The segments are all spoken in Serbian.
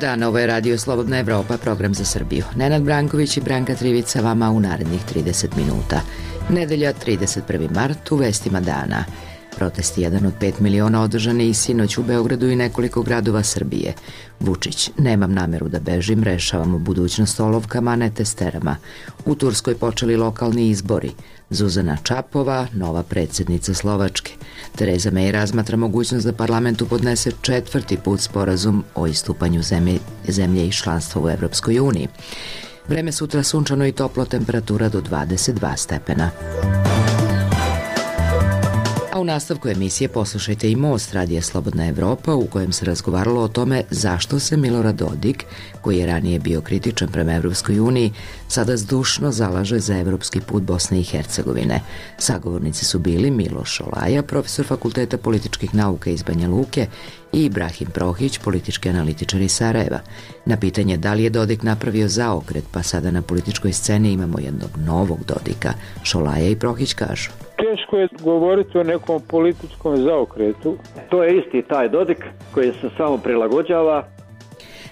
dan, ovo je Radio Slobodna Evropa, program za Srbiju. Nenad Branković i Branka Trivica vama u narednih 30 minuta. Nedelja, 31. mart, u vestima dana. Protest jedan od 5 miliona održani i sinoć u Beogradu i nekoliko gradova Srbije. Vučić, nemam nameru da bežim, rešavamo budućnost olovkama, a ne testerama. U Turskoj počeli lokalni izbori. Zuzana Čapova, nova predsjednica Slovačke. Tereza May razmatra mogućnost da parlamentu podnese 4. put sporazum o istupanju zemlje i članstva u Evropskoj uniji. Vreme sutra sunčano i toplo, temperatura do 22 stepena. A u nastavku emisije poslušajte i Most Radija Slobodna Evropa, u kojem se razgovaralo o tome zašto se Milorad Dodik, koji je ranije bio kritičan prema Evropskoj uniji, sada zdušno zalaže za evropski put Bosne i Hercegovine. Sagovornici su bili Miloš Šolaja, profesor Fakulteta političkih nauka iz Banja Luke, i Ibrahim Prohić, politički analitičar iz Sarajeva. Na pitanje da li je Dodik napravio zaokret, pa sada na političkoj sceni imamo jednog novog Dodika, Šolaja i Prohić kažu: teško je govoriti o nekom političkom zaokretu. To je isti taj Dodik koji se samo prilagođava.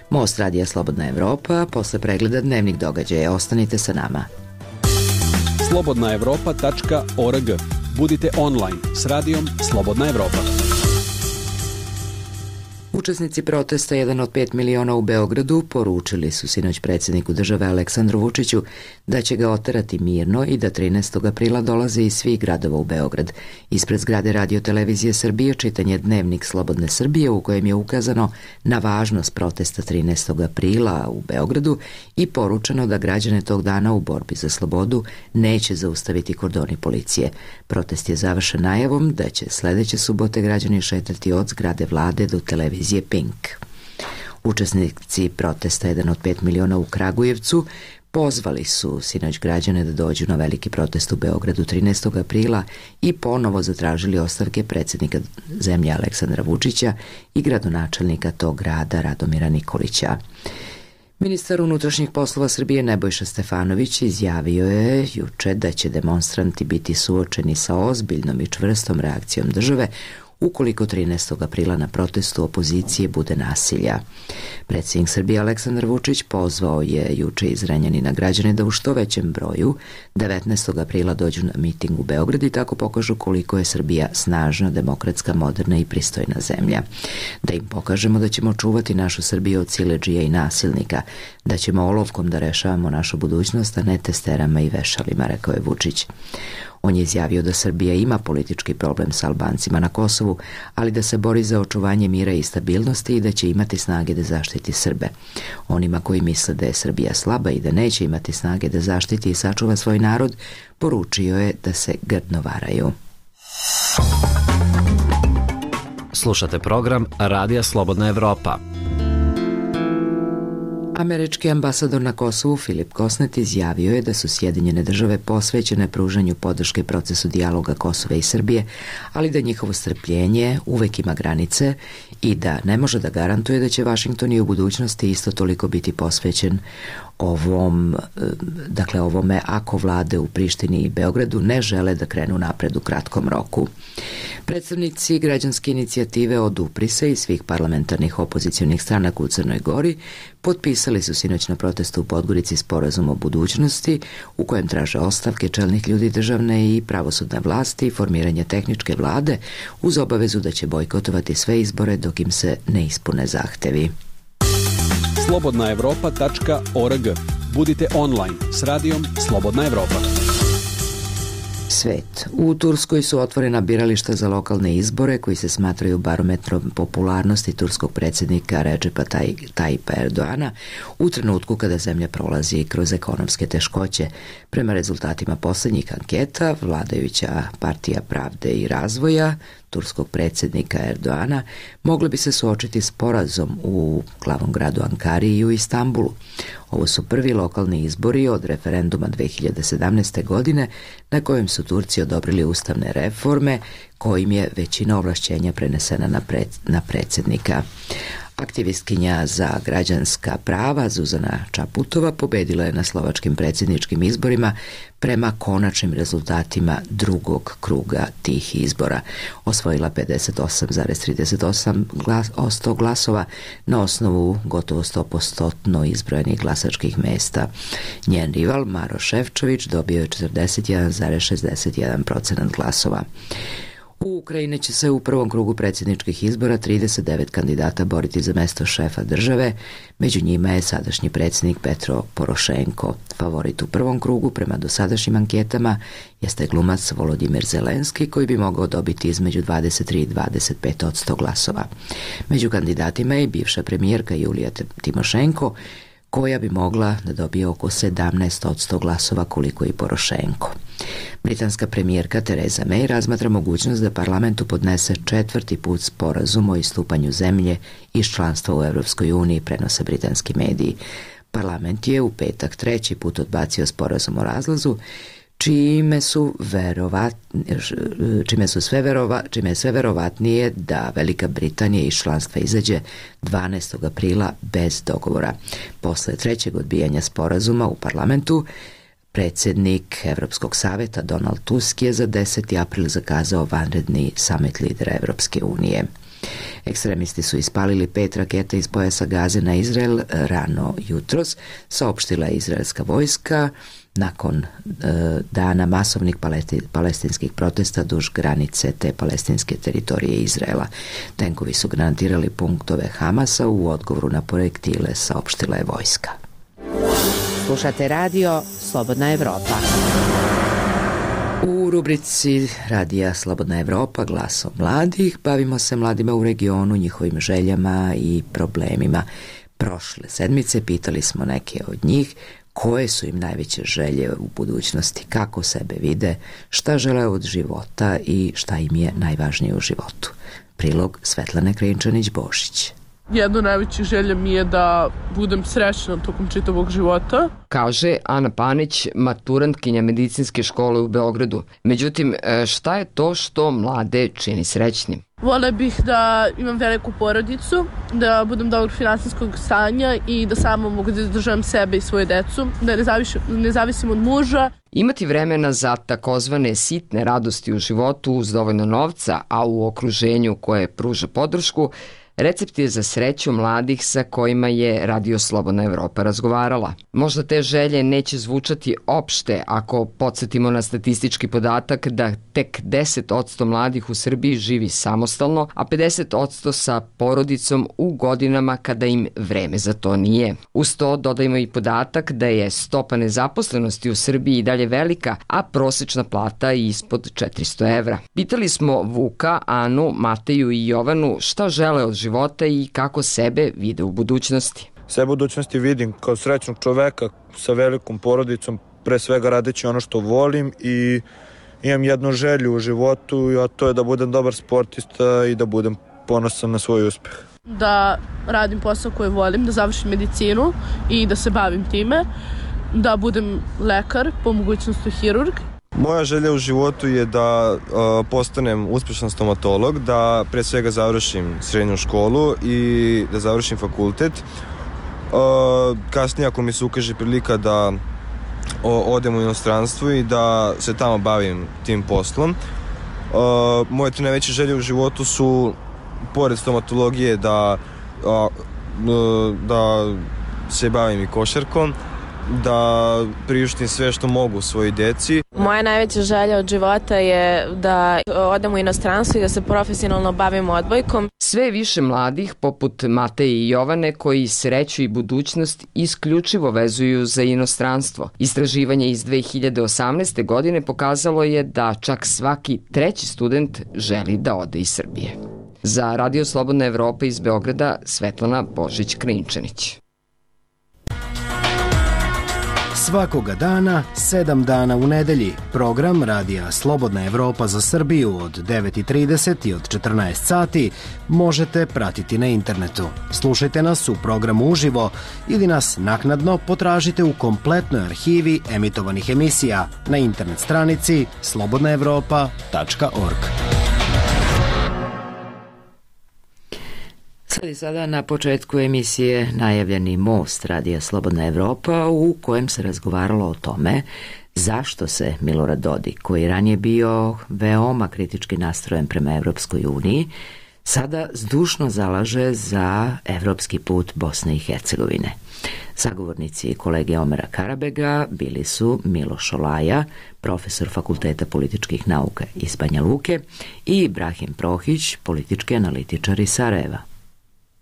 Most Radija Slobodna Evropa, posle pregleda dnevnih događaja. Ostanite sa nama. slobodnaevropa.org. Budite online s radijom Slobodna Evropa. Učesnici protesta jedan od 5 miliona u Beogradu poručili su sinoć predsjedniku države Aleksandru Vučiću da će ga oterati mirno i da 13. aprila dolaze iz svih gradova u Beograd. Ispred zgrade Radio-televizije Srbije čitan je dnevnik Slobodne Srbije u kojem je ukazano na važnost protesta 13. aprila u Beogradu i poručeno da građane tog dana u borbi za slobodu neće zaustaviti kordoni policije. Protest je završen najavom da će sledeće subote građani šetati od zgrade vlade do televizije Pink. Učesnici protesta jedan od 5 miliona u Kragujevcu pozvali su sinoć građane da dođu na veliki protest u Beogradu 13. aprila i ponovo zatražili ostavke predsjednika zemlje Aleksandra Vučića i gradonačelnika tog grada Radomira Nikolića. Ministar unutrašnjih poslova Srbije Nebojša Stefanović izjavio je juče da će demonstranti biti suočeni sa ozbiljnom i čvrstom reakcijom države ukoliko 13. aprila na protestu opozicije bude nasilja. Predsjednik Srbije Aleksandar Vučić pozvao je juče iz Renjanina građane da u što većem broju 19. aprila dođu na miting u Beograd i tako pokažu koliko je Srbija snažna, demokratska, moderna i pristojna zemlja. Da im pokažemo da ćemo čuvati našu Srbiju od siledžija i nasilnika, da ćemo olovkom da rešavamo našu budućnost, a ne testerama i vešalima, rekao je Vučić. On je izjavio da Srbija ima politički problem sa Albancima na Kosovu, ali da se bori za očuvanje mira i stabilnosti i da će imati snage da zaštiti Srbe. Onima koji misle da je Srbija slaba i da neće imati snage da zaštiti i sačuva svoj narod, poručio je da se grdno varaju. Slušate program Radija Slobodna Evropa. Američki ambasador na Kosovu Filip Kosnet izjavio je da su Sjedinjene države posvećene pružanju podrške procesu dijaloga Kosova i Srbije, ali da njihovo strpljenje uvek ima granice i da ne može da garantuje da će Vašington i u budućnosti isto toliko biti posvećen ovome ako vlade u Prištini i Beogradu ne žele da krenu napred u kratkom roku. Predstavnici građanske inicijative Odupri se i svih parlamentarnih opozicionih stranaka u Crnoj Gori potpisali su sinoć na protestu u Podgorici sporazum o budućnosti u kojem traže ostavke čelnih ljudi državne i pravosudne vlasti i formiranje tehničke vlade uz obavezu da će bojkotovati sve izbore dok im se ne ispune zahtevi. slobodnaevropa.org. Budite online s radijom Slobodna Evropa. Svet. U Turskoj su otvorena birališta za lokalne izbore koji se smatraju barometrom popularnosti turskog predsjednika Recepa Tayyipa Erdoana u trenutku kada zemlja prolazi kroz ekonomske teškoće. Prema rezultatima posljednjih anketa, vladajuća partija Pravde i razvoja turskog predsjednika Erdoana mogli bi se suočiti s porazom u glavnom gradu Ankari i u Istanbulu. Ovo su prvi lokalni izbori od referenduma 2017. godine na kojem su Turci odobrili ustavne reforme kojim je većina ovlašćenja prenesena na predsjednika. Aktivistkinja za građanska prava Zuzana Čaputova pobedila je na slovačkim predsjedničkim izborima prema konačnim rezultatima drugog kruga tih izbora. Osvojila 58,38% glasova na osnovu gotovo 100% izbrojenih glasačkih mesta. Njen rival Maro Šefčović dobio je 41,61% glasova. U Ukrajini će se u prvom krugu predsjedničkih izbora 39 kandidata boriti za mesto šefa države, među njima je sadašnji predsjednik Petro Porošenko. Favorit u prvom krugu prema dosadašnjim anketama jeste glumac Volodimir Zelenski, koji bi mogao dobiti između 23 i 25% glasova. Među kandidatima je i bivša premijerka Julija Timošenko, koja bi mogla da dobije oko 17% glasova koliko i Porošenko. Britanska premijerka Theresa May razmatra mogućnost da parlamentu podnese 4. put sporazum o istupanju zemlje iz članstva u Evropskoj uniji, prenose britanski mediji. Parlament je u petak 3. put odbacio sporazum o razlazu, čime je sve verovatnije da Velika Britanija iz članstva izađe 12. aprila bez dogovora. Posle 3. odbijanja sporazuma u parlamentu, predsjednik Evropskog saveta Donald Tusk je za 10. april zakazao vanredni samit lidera Evropske unije. Ekstremisti su ispalili 5 raketa iz pojasa Gaze na Izrael rano jutros, saopštila je izraelska vojska nakon dana masovnih palestinskih protesta duž granice te palestinske teritorije Izraela. Tenkovi su granatirali punktove Hamasa u odgovoru na projektile, saopštila je vojska. Slušate radio Slobodna Evropa. U rubrici Radija Slobodna Evropa, glasom mladih, bavimo se mladima u regionu, njihovim željama i problemima. Prošle sedmice pitali smo neke od njih koje su im najveće želje u budućnosti, kako sebe vide, šta žele od života i šta im je najvažnije u životu. Prilog Svetlane Krinčanić-Bošić. Jedna od najvećih želja mi je da budem srećna tokom čitavog života. Kaže Ana Panić, maturantkinja medicinske škole u Beogradu. Međutim, šta je to što mlade čini srećnim? Vole bih da imam veliku porodicu, da budem dobrog finansijskog stanja i da samo mogu da izdržavam sebe i svoje decu, da ne zavisim od muža. Imati vremena za takozvane sitne radosti u životu uz dovoljno novca, a u okruženju koje pruža podršku, recept je za sreću mladih sa kojima je Radio Slobodna Evropa razgovarala. Možda te želje neće zvučati opšte ako podsjetimo na statistički podatak da tek 10% mladih u Srbiji živi samostalno, a 50% sa porodicom u godinama kada im vreme za to nije. Uz to dodajmo i podatak da je stopa nezaposlenosti u Srbiji i dalje velika, a prosečna plata je ispod 400 evra. Pitali smo Vuka, Anu, Mateju i Jovanu šta žele od života i kako sebe vide u budućnosti. Sebe u budućnosti vidim kao srećnog čoveka sa velikom porodicom, pre svega radeći ono što volim, i imam jednu želju u životu, a to je da budem dobar sportista i da budem ponosan na svoj uspeh. Da radim posao koji volim, da završim medicinu i da se bavim time, da budem lekar, po mogućnosti hirurg. Moja želja u životu je da postanem uspešan stomatolog, da pre svega završim srednju školu i da završim fakultet. Kasnije, ako mi se ukaže prilika da odem u inostranstvo i da se tamo bavim tim poslom. Moje 3 najveće želje u životu su, pored stomatologije, da se bavim i košarkom, da priuštim sve što mogu svojoj deci. Moja najveća želja od života je da odem u inostranstvo i da se profesionalno bavim odbojkom. Sve više mladih, poput Mateje i Jovane, koji sreću i budućnost isključivo vezuju za inostranstvo. Istraživanje iz 2018. godine pokazalo je da čak svaki 3. student želi da ode iz Srbije. Za Radio Slobodna Evropa iz Beograda, Svetlana Božić-Krinčanić. Svakoga dana, 7 dana u nedelji, program Radija Slobodna Evropa za Srbiju od 9:30 i od 14 sati možete pratiti na internetu. Slušajte nas u programu uživo ili nas naknadno potražite u kompletnoj arhivi emitovanih emisija na internet stranici slobodnaevropa.org. I sada na početku emisije najavljeni Most Radija Slobodna Evropa, u kojem se razgovaralo o tome zašto se Milorad Dodik, koji je ranije bio veoma kritički nastrojen prema Evropskoj uniji, sada zdušno zalaže za evropski put Bosne i Hercegovine. Sagovornici kolege Omera Karabega bili su Milo Šolaja, profesor Fakulteta političkih nauka iz Banja Luke, i Ibrahim Prohić, politički analitičar iz Sarajeva.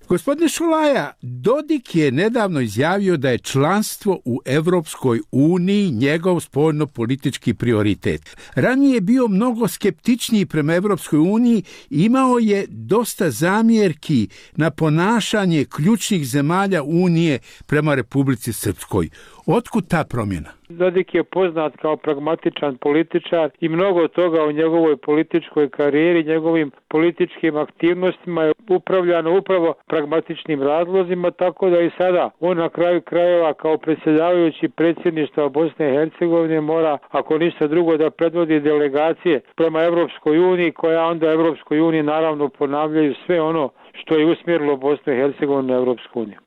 Gospodine Šolaja, Dodik je nedavno izjavio da je članstvo u Evropskoj uniji njegov spoljno-politički prioritet. Ranije je bio mnogo skeptičniji prema Evropskoj uniji i imao je dosta zamjerki na ponašanje ključnih zemalja unije prema Republici Srpskoj. Otkud ta promjena? Dodik je poznat kao pragmatičan političar i mnogo toga u njegovoj političkoj karijeri, njegovim političkim aktivnostima je upravljano upravo pragmatičnim razlozima, tako da i sada on na kraju krajeva kao predsjedavajući predsjedništva Bosne i Hercegovine mora, ako ništa drugo, da predvodi delegacije prema Evropskoj uniji, koja onda Evropskoj uniji naravno ponavljaju sve ono što je usmjerilo Bosnu i Hercegovinu na Evropsku uniju.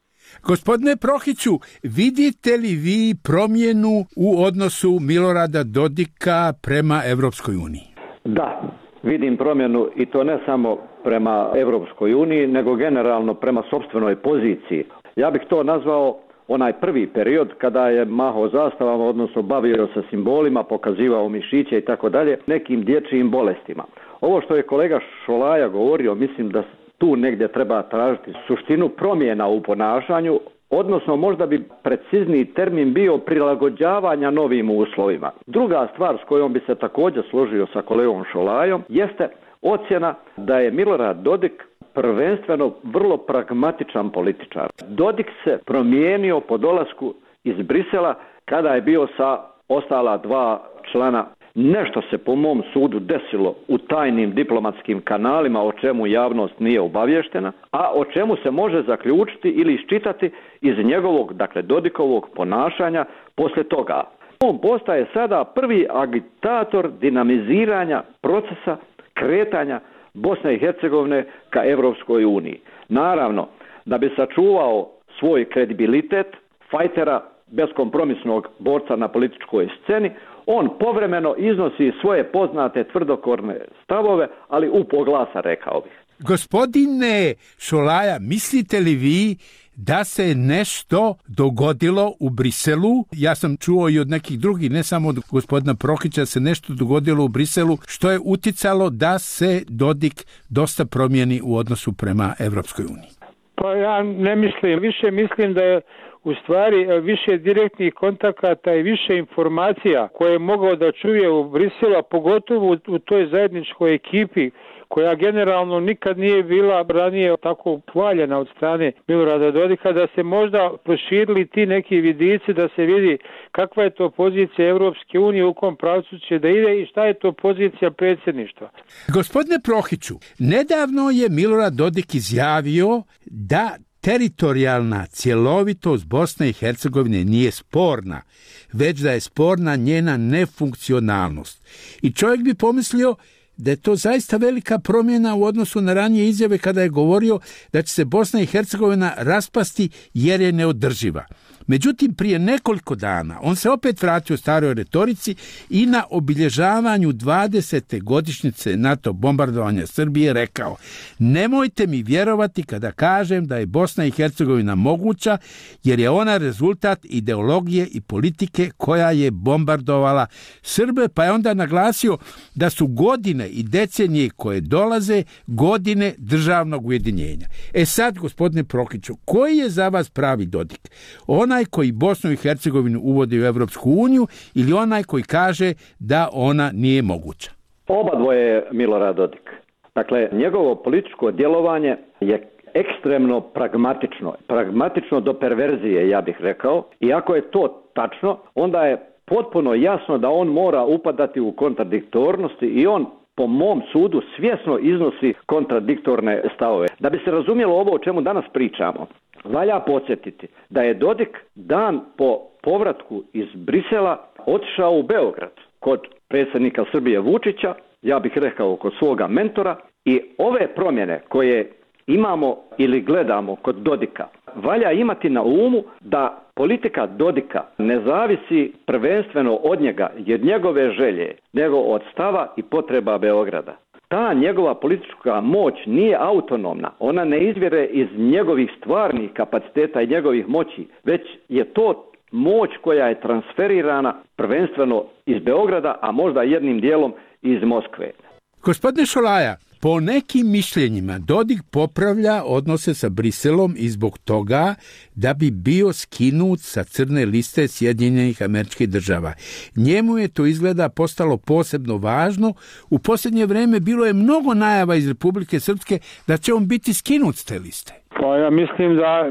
Gospodine Prohiću, vidite li vi promjenu u odnosu Milorada Dodika prema Evropskoj uniji? Da, vidim promjenu i to ne samo prema Evropskoj uniji, nego generalno prema sopstvenoj poziciji. Ja bih to nazvao onaj prvi period kada je mahao zastavama, odnosno bavio se simbolima, pokazivao mišiće i tako dalje, nekim dječjim bolestima. Ovo što je kolega Šolaja govorio, mislim da tu negdje treba tražiti suštinu promjena u ponašanju, odnosno možda bi precizniji termin bio prilagođavanja novim uslovima. Druga stvar s kojom bi se također složio sa kolegom Šolajom jeste ocjena da je Milorad Dodik prvenstveno vrlo pragmatičan političar. Dodik se promijenio po dolasku iz Brisela kada je bio sa ostala dva člana. Nešto se po mom sudu desilo u tajnim diplomatskim kanalima o čemu javnost nije obavještena, a o čemu se može zaključiti ili iščitati iz njegovog, dakle Dodikovog ponašanja poslije toga. On postaje sada prvi agitator dinamiziranja procesa kretanja Bosne i Hercegovine ka Evropskoj uniji. Naravno, da bi sačuvao svoj kredibilitet fajtera, beskompromisnog borca na političkoj sceni, on povremeno iznosi svoje poznate tvrdokorne stavove, ali u poglasa, rekao bih. Gospodine Šolaja, mislite li vi da se nešto dogodilo u Briselu? Ja sam čuo i od nekih drugih, ne samo od gospodina Prohića, se nešto dogodilo u Briselu što je uticalo da se Dodik dosta promijeni u odnosu prema Evropskoj uniji. Pa ja ne mislim, više mislim da je u stvari više direktnih kontakata i više informacija koje je mogao da čuje u Briselu, a pogotovo u toj zajedničkoj ekipi koja generalno nikad nije bila ranije tako hvaljena od strane Milorada Dodika, da se možda proširili ti neki vidici, da se vidi kakva je to pozicija Evropske unije, u kom pravcu će da ide i šta je to pozicija predsjedništva. Gospodine Prohiću, nedavno je Milorad Dodik izjavio da teritorijalna cjelovitost Bosne i Hercegovine nije sporna, već da je sporna njena nefunkcionalnost. I čovjek bi pomislio da je to zaista velika promjena u odnosu na ranije izjave kada je govorio da će se Bosna i Hercegovina raspasti jer je neodrživa. Međutim, prije nekoliko dana on se opet vratio staroj retorici i na obilježavanju 20. godišnjice NATO bombardovanja Srbije rekao: nemojte mi vjerovati kada kažem da je Bosna i Hercegovina moguća, jer je ona rezultat ideologije i politike koja je bombardovala Srbe, pa je onda naglasio da su godine i decenije koje dolaze godine državnog ujedinjenja. Sad, gospodine Prohiću, koji je za vas pravi Dodik? Onaj koji Bosnu i Hercegovinu uvodi u Evropsku uniju ili onaj koji kaže da ona nije moguća? Oba dvoje je Milorad Dodik. Dakle, njegovo političko djelovanje je ekstremno pragmatično. Pragmatično do perverzije, ja bih rekao. I ako je to tačno, onda je potpuno jasno da on mora upadati u kontradiktornosti i on, po mom sudu, svjesno iznosi kontradiktorne stavove. Da bi se razumjelo ovo o čemu danas pričamo, valja podsjetiti da je Dodik dan po povratku iz Brisela otišao u Beograd kod predsjednika Srbije Vučića, ja bih rekao kod svoga mentora, i ove promjene koje imamo ili gledamo kod Dodika, valja imati na umu da politika Dodika ne zavisi prvenstveno od njega, jer njegove želje, nego od stava i potreba Beograda. Ta njegova politička moć nije autonomna, ona ne izvire iz njegovih stvarnih kapaciteta i njegovih moći, već je to moć koja je transferirana prvenstveno iz Beograda, a možda jednim dijelom iz Moskve. Gospodine Šolaja, po nekim mišljenjima Dodik popravlja odnose sa Briselom i zbog toga da bi bio skinut sa crne liste Sjedinjenih Američkih Država. Njemu je to izgleda postalo posebno važno. U posljednje vrijeme bilo je mnogo najava iz Republike Srpske da će on biti skinut s te liste. Pa ja mislim da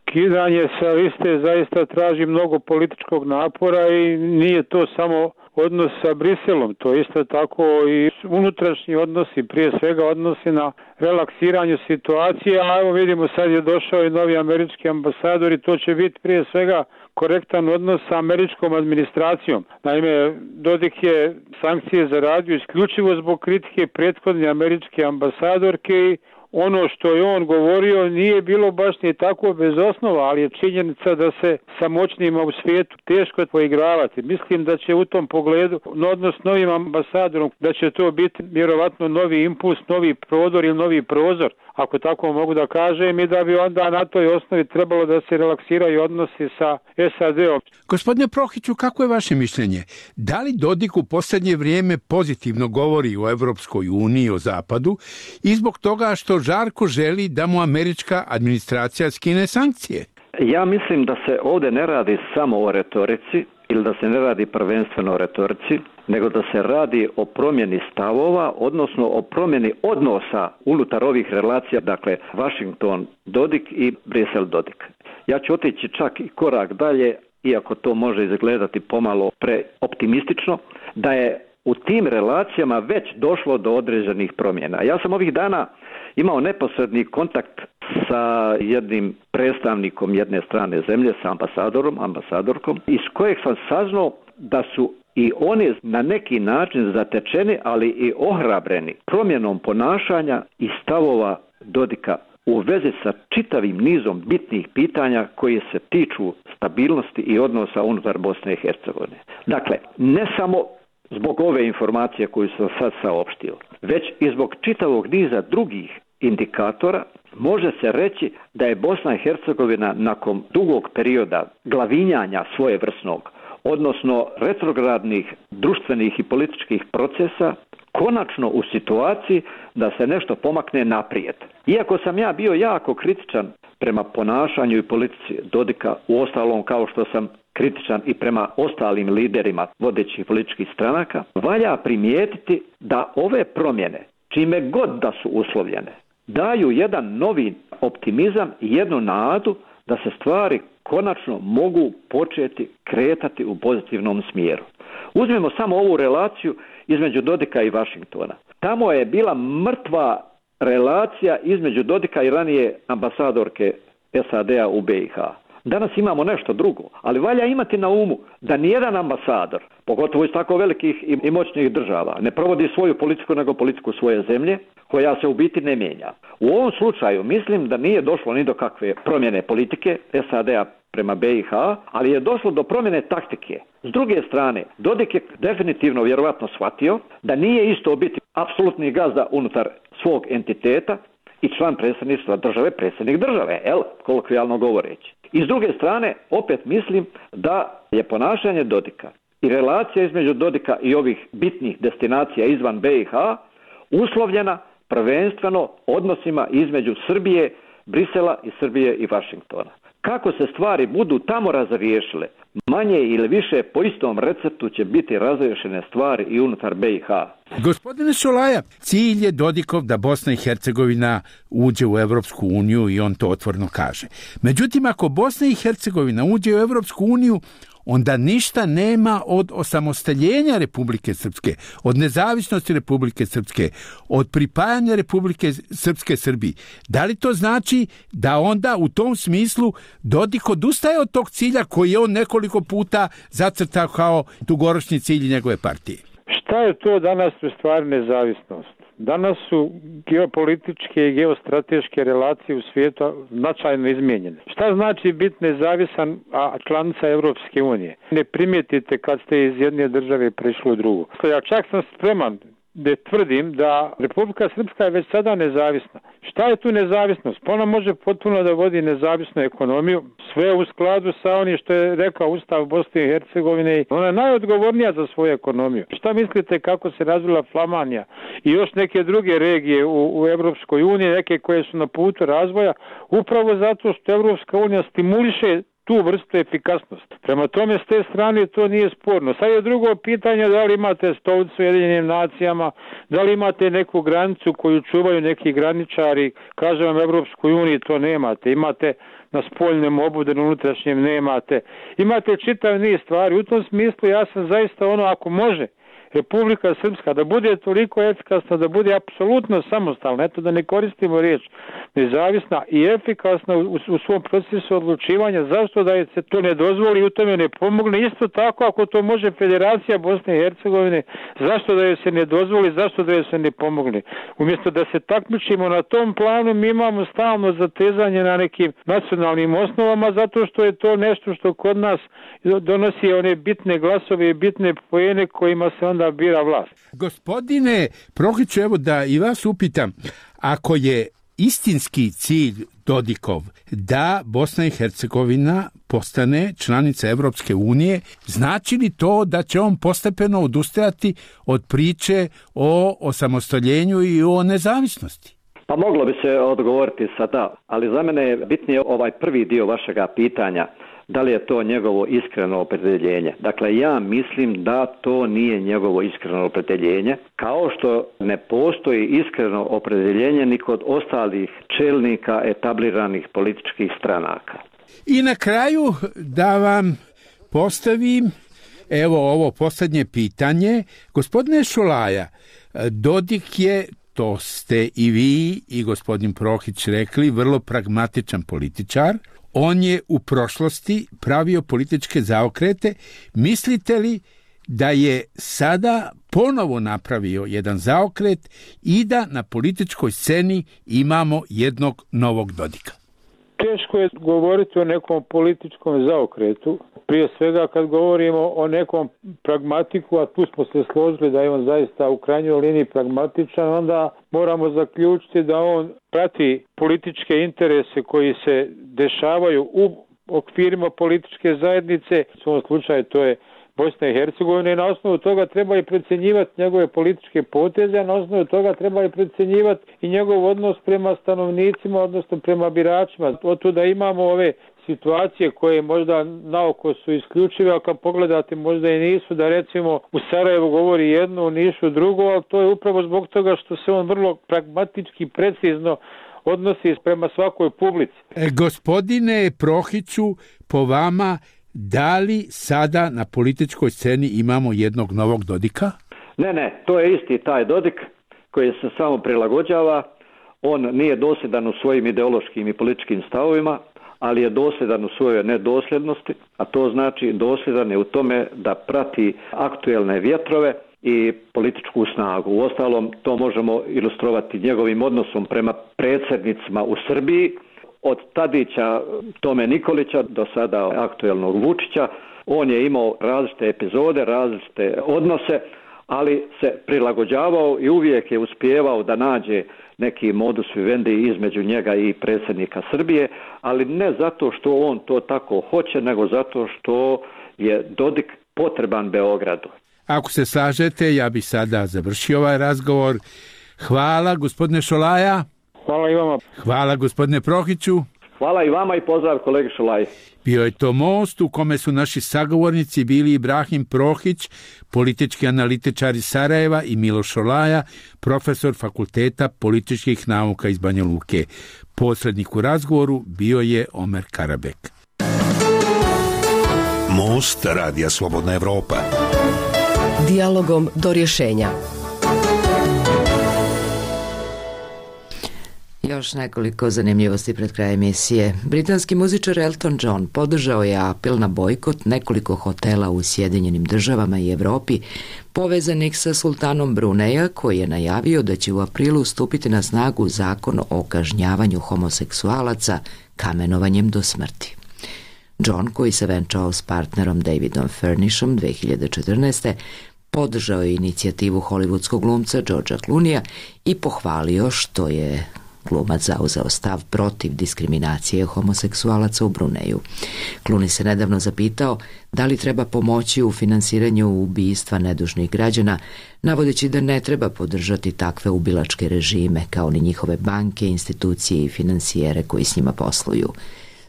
skidanje sa liste zaista traži mnogo političkog napora i nije to samo odnos sa Briselom, to isto tako i unutrašnji odnosi, prije svega odnosi na relaksiranju situacije, a evo vidimo sad je došao i novi američki ambasador i to će biti prije svega korektan odnos sa američkom administracijom. Naime, Dodik je sankcije zaradio isključivo zbog kritike prethodne američke ambasadorke i ono što je on govorio nije bilo baš ni tako bez osnova, ali je činjenica da se sa moćnima u svijetu teško poigravati. Mislim da će u tom pogledu odnos s novim ambasadorom, da će to biti vjerovatno novi impuls, novi prodor ili novi prozor, ako tako mogu da kažem, i da bi onda na toj osnovi trebalo da se relaksiraju odnosi sa SAD-om. Gospodine Prohiću, kako je vaše mišljenje? Da li Dodik u posljednje vrijeme pozitivno govori o Evropskoj uniji, o Zapadu, i zbog toga što žarko želi da mu američka administracija skine sankcije? Ja mislim da se ovdje ne radi samo o retorici ili da se ne radi prvenstveno o retorici, nego da se radi o promjeni stavova, odnosno o promjeni odnosa unutar ovih relacija, dakle Washington-Dodik i Brisel-Dodik. Ja ću otići čak i korak dalje, iako to može izgledati pomalo preoptimistično, da je u tim relacijama već došlo do određenih promjena. Ja sam ovih dana imao neposredni kontakt sa jednim predstavnikom jedne strane zemlje, sa ambasadorkom, iz kojeg sam saznao da su i oni na neki način zatečeni, ali i ohrabreni promjenom ponašanja i stavova Dodika u vezi sa čitavim nizom bitnih pitanja koji se tiču stabilnosti i odnosa unutar Bosne i Hercegovine. Dakle, ne samo zbog ove informacije koju sam sad saopštio, već i zbog čitavog niza drugih indikatora, može se reći da je Bosna i Hercegovina nakon dugog perioda glavinjanja svojevrsnog, odnosno retrogradnih društvenih i političkih procesa, konačno u situaciji da se nešto pomakne naprijed. Iako sam ja bio jako kritičan prema ponašanju i politici Dodika, uostalom kao što sam kritičan i prema ostalim liderima vodećih političkih stranaka, valja primijetiti da ove promjene, čime god da su uslovljene, daju jedan novi optimizam i jednu nadu da se stvari konačno mogu početi kretati u pozitivnom smjeru. Uzmimo samo ovu relaciju između Dodika i Washingtona. Tamo je bila mrtva relacija između Dodika i ranije ambasadorke SAD-a u BiH. Danas imamo nešto drugo, ali valja imati na umu da nijedan ambasador, pogotovo iz tako velikih i moćnih država, ne provodi svoju politiku nego politiku svoje zemlje, koja se u biti ne mijenja. U ovom slučaju mislim da nije došlo ni do kakve promjene politike SAD-a prema BiH, ali je došlo do promjene taktike. S druge strane, Dodik je definitivno vjerovatno shvatio da nije isto biti apsolutni gazda unutar svog entiteta i član predsjedništva države, predsjednik države, kolokvijalno govoreći. I s druge strane, opet mislim da je ponašanje Dodika i relacija između Dodika i ovih bitnih destinacija izvan BiH uslovljena prvenstveno odnosima između Srbije, Brisela i Srbije i Washingtona. Kako se stvari budu tamo razriješile, manje ili više po istom receptu će biti razriješene stvari i unutar BiH. Gospodine Šolaja, cilj je Dodikov da Bosna i Hercegovina uđe u Evropsku uniju i on to otvoreno kaže. Međutim, ako Bosna i Hercegovina uđe u Evropsku uniju, onda ništa nema od osamostaljenja Republike Srpske, od nezavisnosti Republike Srpske, od pripajanja Republike Srpske Srbiji. Da li to znači da onda u tom smislu Dodik odustaje od tog cilja koji je on nekoliko puta zacrtao kao dugoročni cilj njegove partije? Šta je to danas u stvari nezavisnost? Danas su geopolitičke i geostrateške relacije u svijetu značajno izmijenjene. Šta znači biti nezavisan, a članica Evropske unije? Ne primijetite kad ste iz jedne države prešli u drugu. Ja čak sam spreman da tvrdim da Republika Srpska je već sada nezavisna. Šta je tu nezavisnost? Ona može potpuno da vodi nezavisnu ekonomiju, sve u skladu sa onim što je rekao Ustav Bosne i Hercegovine. Ona je najodgovornija za svoju ekonomiju. Šta mislite kako se razvila Flamanija i još neke druge regije u Evropskoj uniji, neke koje su na putu razvoja, upravo zato što Evropska unija stimuliše tu vrstu efikasnosti. Prema tome, s te strane to nije sporno. Sad je drugo pitanje da li imate stolicu u Ujedinjenim nacijama, da li imate neku granicu koju čuvaju neki graničari, kažem vam Evropskoj uniji to nemate. Imate na spoljnom obudu, na unutrašnjem nemate. Imate čitav niz stvari. U tom smislu ja sam zaista ako može Republika Srpska da bude toliko efikasna, da bude apsolutno samostalna, eto da ne koristimo riječ nezavisna i efikasna u svom procesu odlučivanja, zašto da je se to ne dozvoli i u tome ne pomogne? Isto tako ako to može Federacija Bosne i Hercegovine, zašto da je se ne dozvoli, zašto da je se ne pomogne? Umjesto da se takmičimo na tom planu, mi imamo stalno zatezanje na nekim nacionalnim osnovama, zato što je to nešto što kod nas donosi one bitne glasove i bitne poene kojima se onda bira vlast. Gospodine Prohiću, evo da i vas upitam, ako je istinski cilj Dodikov da Bosna i Hercegovina postane članica Evropske unije, znači li to da će on postepeno odustajati od priče o osamostaljenju i o nezavisnosti? Pa moglo bi se odgovoriti sa da, ali za mene je bitnije ovaj prvi dio vašega pitanja. Da li je to njegovo iskreno opredjeljenje? Dakle, ja mislim da to nije njegovo iskreno opredjeljenje, kao što ne postoji iskreno opredjeljenje ni kod ostalih čelnika etabliranih političkih stranaka. I na kraju da vam postavim ovo posljednje pitanje. Gospodine Šolaja, Dodik je, to ste i vi i gospodin Prohić rekli, vrlo pragmatičan političar. On je u prošlosti pravio političke zaokrete. Mislite li da je sada ponovo napravio jedan zaokret i da na političkoj sceni imamo jednog novog Dodika? Teško je govoriti o nekom političkom zaokretu. Prije svega kad govorimo o nekom pragmatiku, a tu smo se složili da je on zaista u krajnjoj liniji pragmatičan, onda moramo zaključiti da on prati političke interese koji se dešavaju u okvirima političke zajednice. U ovom slučaju to je Bosna i Hercegovina i na osnovu toga treba i procjenjivati njegove političke poteze, a na osnovu toga treba i procjenjivati i njegov odnos prema stanovnicima, odnosno prema biračima. Otuda imamo ove situacije koje možda naoko su isključive, a kad pogledate možda i nisu, da recimo u Sarajevu govori jedno, u Nišu drugo, ali to je upravo zbog toga što se on vrlo pragmatički, precizno odnosi prema svakoj publici. Gospodine Prohiću, po vama, da li sada na političkoj sceni imamo jednog novog Dodika? Ne, to je isti taj Dodik koji se samo prilagođava. On nije dosljedan u svojim ideološkim i političkim stavovima, ali je dosljedan u svojoj nedosljednosti, a to znači dosljedan je u tome da prati aktuelne vjetrove i političku snagu. Uostalom, to možemo ilustrovati njegovim odnosom prema predsjednicima u Srbiji, od Tadića, Tome Nikolića do sada aktuelnog Vučića. On je imao različite epizode, različite odnose, ali se prilagođavao i uvijek je uspijevao da nađe neki modus vivendi između njega i predsjednika Srbije, ali ne zato što on to tako hoće, nego zato što je Dodik potreban Beogradu. Ako se slažete, ja bih sada završio ovaj razgovor. Hvala, gospodine Šolaja. Hvala i vama. Hvala, gospodine Prohiću. Hvala i vama i pozdrav kolegi Šolaj. Bio je to Most u kome su naši sagovornici bili Ibrahim Prohić, politički analitičar iz Sarajeva, i Miloš Šolaja, profesor Fakulteta političkih nauka iz Banja Luke. Posrednik u razgovoru bio je Omer Karabek. Most Radija Slobodna Evropa. Dijalogom do rješenja. Još nekoliko zanimljivosti pred kraj emisije. Britanski muzičar Elton John podržao je apel na bojkot nekoliko hotela u Sjedinjenim Državama i Evropi povezanih sa sultanom Bruneja, koji je najavio da će u aprilu stupiti na snagu zakon o kažnjavanju homoseksualaca kamenovanjem do smrti. John, koji se venčao s partnerom Davidom Furnishom 2014. podržao je inicijativu hollywoodskog glumca Georgea Clooneyja i pohvalio što je glumac zauzeo stav protiv diskriminacije homoseksualaca u Bruneju. Clooney se nedavno zapitao da li treba pomoći u finansiranju ubistva nedužnih građana, navodeći da ne treba podržati takve ubilačke režime kao ni njihove banke, institucije i finansijere koji s njima posluju.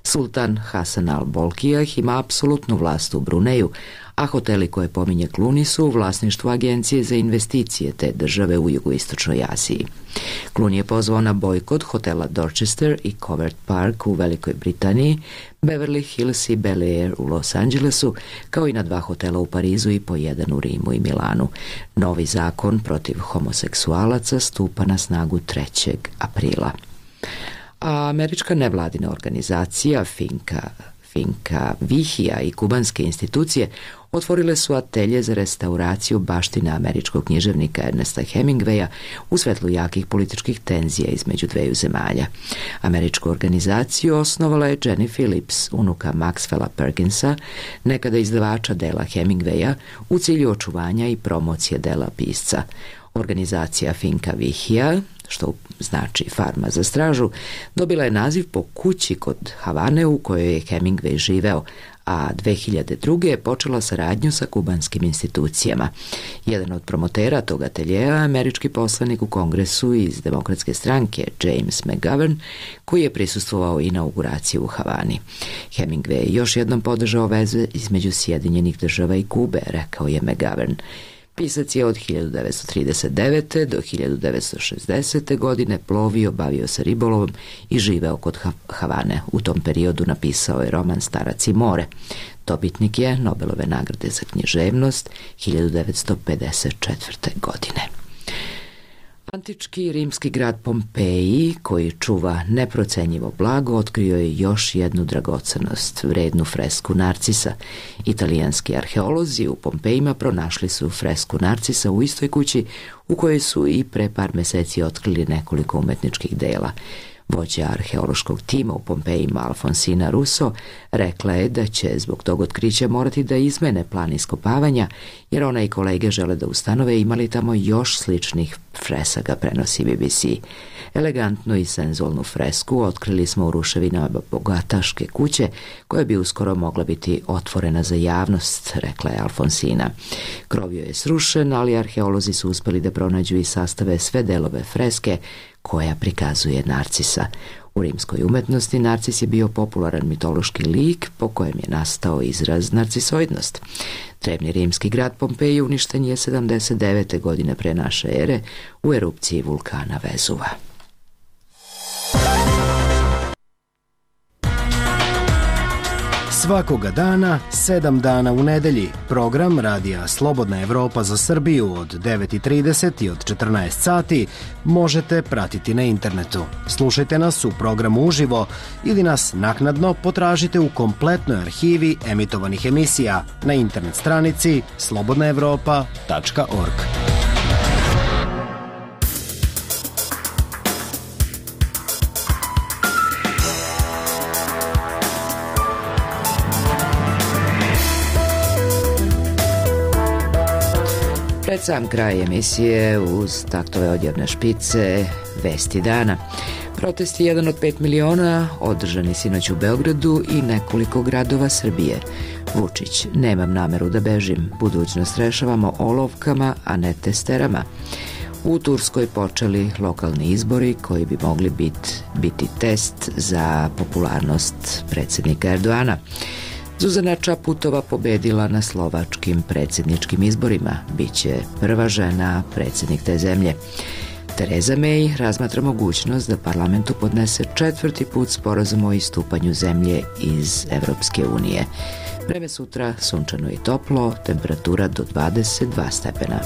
Sultan Hasan al-Bolkiah ima apsolutnu vlast u Bruneju, a hoteli koje pominje Clooney su u vlasništvu Agencije za investicije te države u jugoistočnoj Aziji. Clooney je pozvao na bojkot hotela Dorchester i Covert Park u Velikoj Britaniji, Beverly Hills i Bel Air u Los Angelesu, kao i na 2 hotela u Parizu i po 1 u Rimu i Milanu. Novi zakon protiv homoseksualaca stupa na snagu 3. aprila. A američka nevladina organizacija Finka Vihija i kubanske institucije otvorile su atelje za restauraciju baštine američkog književnika Ernesta Hemingwaya u svetlu jakih političkih tenzija između dveju zemalja. Američku organizaciju osnovala je Jenny Phillips, unuka Maxwella Perkinsa, nekada izdavača dela Hemingwaya, u cilju očuvanja i promocije dela pisca. Organizacija Finka Vihija, što znači farma za stražu, dobila je naziv po kući kod Havane u kojoj je Hemingway živeo, a 2002. je počela saradnju sa kubanskim institucijama. Jedan od promotera tog ateljeja, američki poslanik u Kongresu iz Demokratske stranke James McGovern, koji je prisustvovao inauguraciji u Havani. Hemingway je još jednom podržao veze između Sjedinjenih Država i Kube, rekao je McGovern. Pisac je od 1939. do 1960. godine plovio, bavio se ribolovom i živeo kod Havane. U tom periodu napisao je roman Starac i more. Dobitnik je Nobelove nagrade za književnost 1954. godine. Antički rimski grad Pompeji, koji čuva neprocenjivo blago, otkrio je još jednu dragocenost, vrednu fresku Narcisa. Italijanski arheolozi u Pompejima pronašli su fresku Narcisa u istoj kući u kojoj su i pre par meseci otkrili nekoliko umetničkih dela. Vođa arheološkog tima u Pompejima Alfonsina Russo rekla je da će zbog tog otkrića morati da izmene plan iskopavanja, jer ona i kolege žele da ustanove imali tamo još sličnih fresaka, prenosi BBC. Elegantnu i senzualnu fresku otkrili smo u ruševinama bogataške kuće, koja bi uskoro mogla biti otvorena za javnost, rekla je Alfonsina. Krov joj je srušen, ali arheolozi su uspeli da pronađu i sastave sve delove freske koja prikazuje Narcisa. U rimskoj umetnosti Narcis je bio popularan mitološki lik po kojem je nastao izraz narcisoidnost. Drevni rimski grad Pompeji uništen je 79. godine pre naše ere u erupciji vulkana Vezuva. Svakoga dana, 7 dana u nedelji, program Radija Slobodna Evropa za Srbiju od 9:30 i od 14 sati možete pratiti na internetu. Slušajte nas u programu uživo ili nas naknadno potražite u kompletnoj arhivi emitovanih emisija na internet stranici slobodnaevropa.org. Pred sam kraj emisije, uz taktove odjavne špice, vesti dana. Protest je 1 od 5 miliona, održani sinoć u Beogradu i nekoliko gradova Srbije. Vučić: nemam nameru da bežim, budućnost rešavamo olovkama, a ne testerama. U Turskoj počeli lokalni izbori koji bi mogli biti test za popularnost predsjednika Erdoana. Zuzana Čaputova pobedila na slovačkim predsjedničkim izborima. Biće prva žena predsjednik te zemlje. Tereza May razmatra mogućnost da parlamentu podnese 4. put sporazum o istupanju zemlje iz Evropske unije. Vreme sutra sunčano i toplo, temperatura do 22 stepena.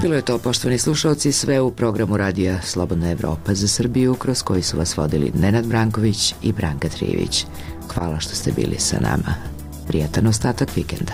Bilo je to, poštovani slušalci, sve u programu radija Slobodna Evropa za Srbiju, kroz koji su vas vodili Nenad Branković i Branka Trijević. Hvala što ste bili sa nama. Prijatan ostatak vikenda.